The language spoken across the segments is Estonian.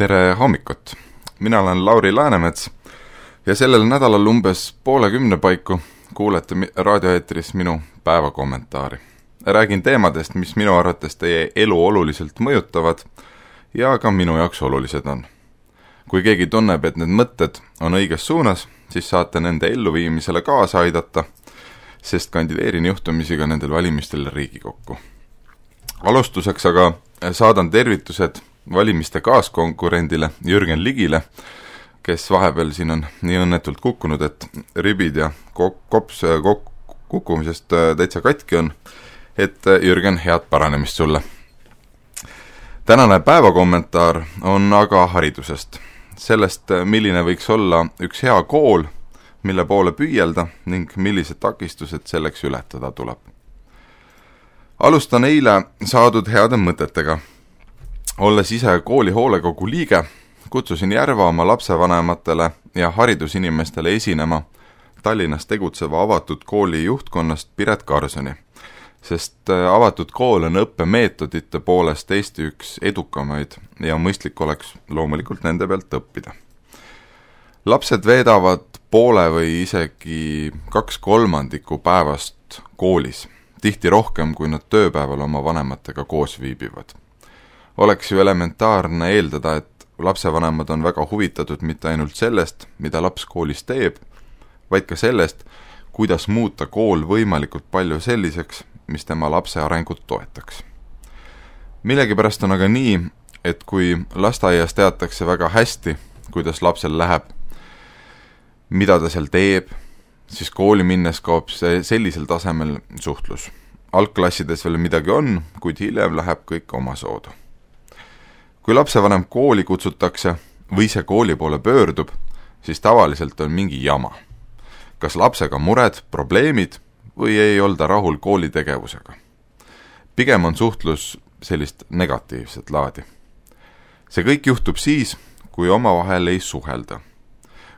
Tere hommikut! Mina olen Lauri Läänemets ja sellel nädalal umbes 9:30 paiku kuulete raadioeetris minu päevakommentaari. Räägin teemadest, mis minu arvates teie elu oluliselt mõjutavad ja ka minu jaoks olulised on. Kui keegi tunneb, et need mõtted on õiges suunas, siis saate nende elluviimisele kaasa aidata, sest kandideerin juhtumisi ka nendel valimistel Riigikokku. Alustuseks aga saadan tervitused valimiste kaaskonkurendile Jürgen Ligile, kes vahepeal siin on nii õnnetult kukkunud, et ribid ja kops kukkumisest täitsa katki on, et Jürgen, head paranemist sulle. Tänane päevakommentaar on aga haridusest. Sellest, milline võiks olla üks hea kool, mille poole püüelda ning millised takistused selleks ületada tuleb. Alustan eile saadud heade mõtetega. Olles ise kooli hoolekogu liige, kutsusin Järva oma lapsevanematele ja haridusinimestele esinema Tallinnas tegutseva avatud kooli juhtkonnast Piret Karsoni, sest avatud kool on õppemeetodite poolest Eesti üks edukamaid ja mõistlik oleks loomulikult nende pealt õppida. Lapsed veedavad poole või isegi 2/3 päevast koolis, tihti rohkem, kui nad tööpäeval oma vanematega koos viibivad. Oleks ju elementaarne eeldada, et lapsevanemad on väga huvitatud mitte ainult sellest, mida laps koolis teeb, vaid ka sellest, kuidas muuta kool võimalikult palju selliseks, mis tema lapse arengut toetaks. Millegipärast on aga nii, et kui lasteaias teatakse väga hästi, kuidas lapsel läheb, mida ta seal teeb, siis kooli minnes kaob see sellisel tasemel suhtlus. Algklassides veel midagi on, kuid hiljem läheb kõik omasoodu. Kui lapsevanem kooli kutsutakse või see kooli poole pöördub, siis tavaliselt on mingi jama. Kas lapsega mured, probleemid või ei olda rahul kooli tegevusega. Pigem on suhtlus sellist negatiivset laadi. See kõik juhtub siis, kui omavahel ei suhelda.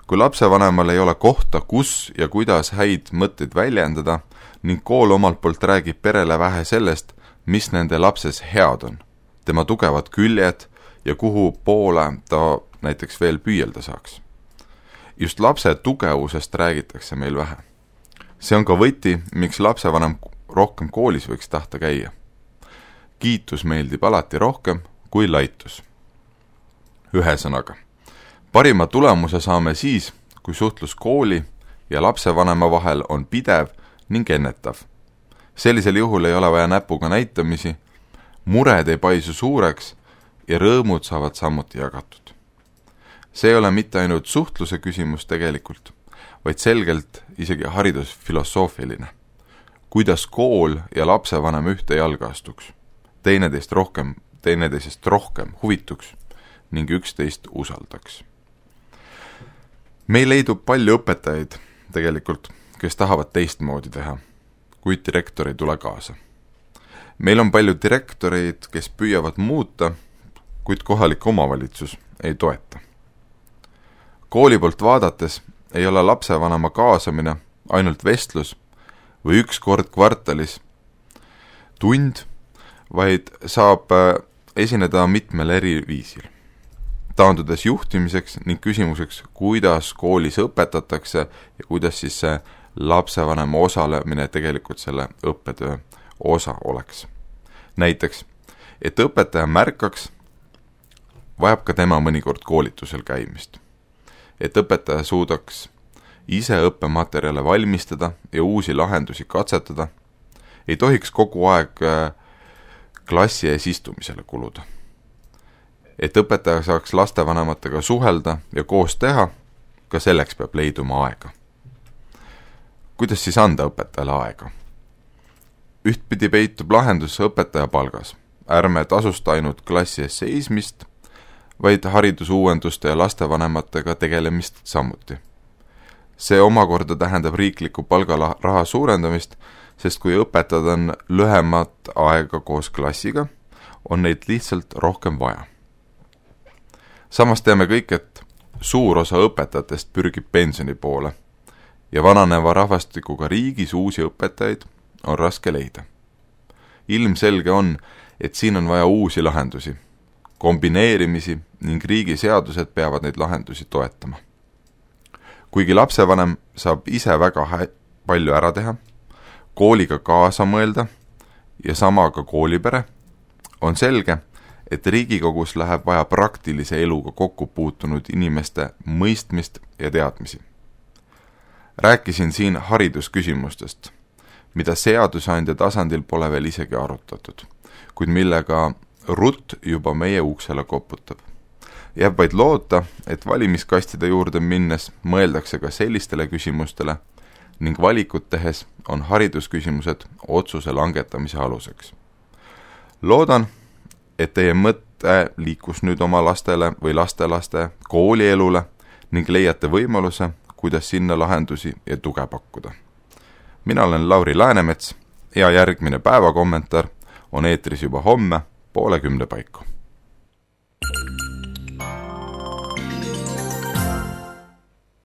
Kui lapsevanemal ei ole kohta, kus ja kuidas häid mõtteid väljendada ning kool omalt poolt räägib perele vähe sellest, mis nende lapses head on, tema tugevad küljed ja kuhu poole ta näiteks veel püüelda saaks. Just lapse tugevusest räägitakse meil vähe. See on ka võti, miks lapsevanem rohkem koolis võiks tahta käia. Kiitus meeldib alati rohkem kui laitus. Ühesõnaga, parima tulemuse saame siis, kui suhtlus kooli ja lapsevanema vahel on pidev ning ennetav. Sellisel juhul ei ole vaja näpuga näitamisi, mured ei paisu suureks ja rõõmud saavad samuti jagatud. See ei ole mitte ainult suhtluse küsimus tegelikult, vaid selgelt isegi haridusfilosoofiline. Kuidas kool ja lapsevanem ühte jalga astuks, teineteisest rohkem huvituks ning üksteist usaldaks. Meil leidub palju õpetajaid tegelikult, kes tahavad teistmoodi teha, kuid direktor ei tule kaasa. Meil on palju direktoreid, kes püüavad muuta, kuid kohalik omavalitsus ei toeta. Kooli poolt vaadates ei ole lapsevanema kaasamine ainult vestlus või üks kord kvartalis tund, vaid saab esineda mitmel eri viisil. Taandudes juhtimiseks ning küsimuseks, kuidas koolis õpetatakse ja kuidas siis see lapsevanema osalemine tegelikult selle õppetöö osa oleks. Näiteks, et õpetaja märkaks, vajab ka tema mõnikord koolitusel käimist. Et õpetaja suudaks ise õppematerjale valmistada ja uusi lahendusi katsetada, ei tohiks kogu aeg klassi ees istumisele kuluda. Et õpetaja saaks lastevanematega suhelda ja koos teha, ka selleks peab leiduma aega. Kuidas siis anda õpetajale aega? Ühtpidi peitub lahendus õpetaja palgas. Ärme tasusta ainult klassi ees seismist, vaid haridusuuenduste ja lastevanematega tegelemist samuti. See omakorda tähendab riikliku palgaraha suurendamist, sest kui õpetajad on lühemat aega koos klassiga, on neid lihtsalt rohkem vaja. Samas teame kõik, et suur osa õpetajatest pürgib pensioni poole ja vananeva rahvastikuga riigis uusi õpetajaid on raske leida. Ilmselge on, et siin on vaja uusi lahendusi. kombineerimisi ning riigi seadused peavad neid lahendusi toetama. Kuigi lapsevanem saab ise väga palju ära teha, kooliga kaasa mõelda ja sama ka koolipere, on selge, et Riigikogus läheb vaja praktilise eluga kokku puutunud inimeste mõistmist ja teadmisi. Rääkisin siin haridusküsimustest, mida seadusandja tasandil pole veel isegi arutatud, kuid millega rutt juba meie uksele koputab. Jääb vaid loota, et valimiskastide juurde minnes mõeldakse ka sellistele küsimustele ning valikut tehes on haridusküsimused otsuse langetamise aluseks. Loodan, et teie mõte liikus nüüd oma lastele või lastelaste koolielule ning leiate võimaluse, kuidas sinna lahendusi ja tuge pakkuda. Mina olen Lauri Läänemets ja järgmine päevakommentaar on eetris juba homme 9:30 paiku.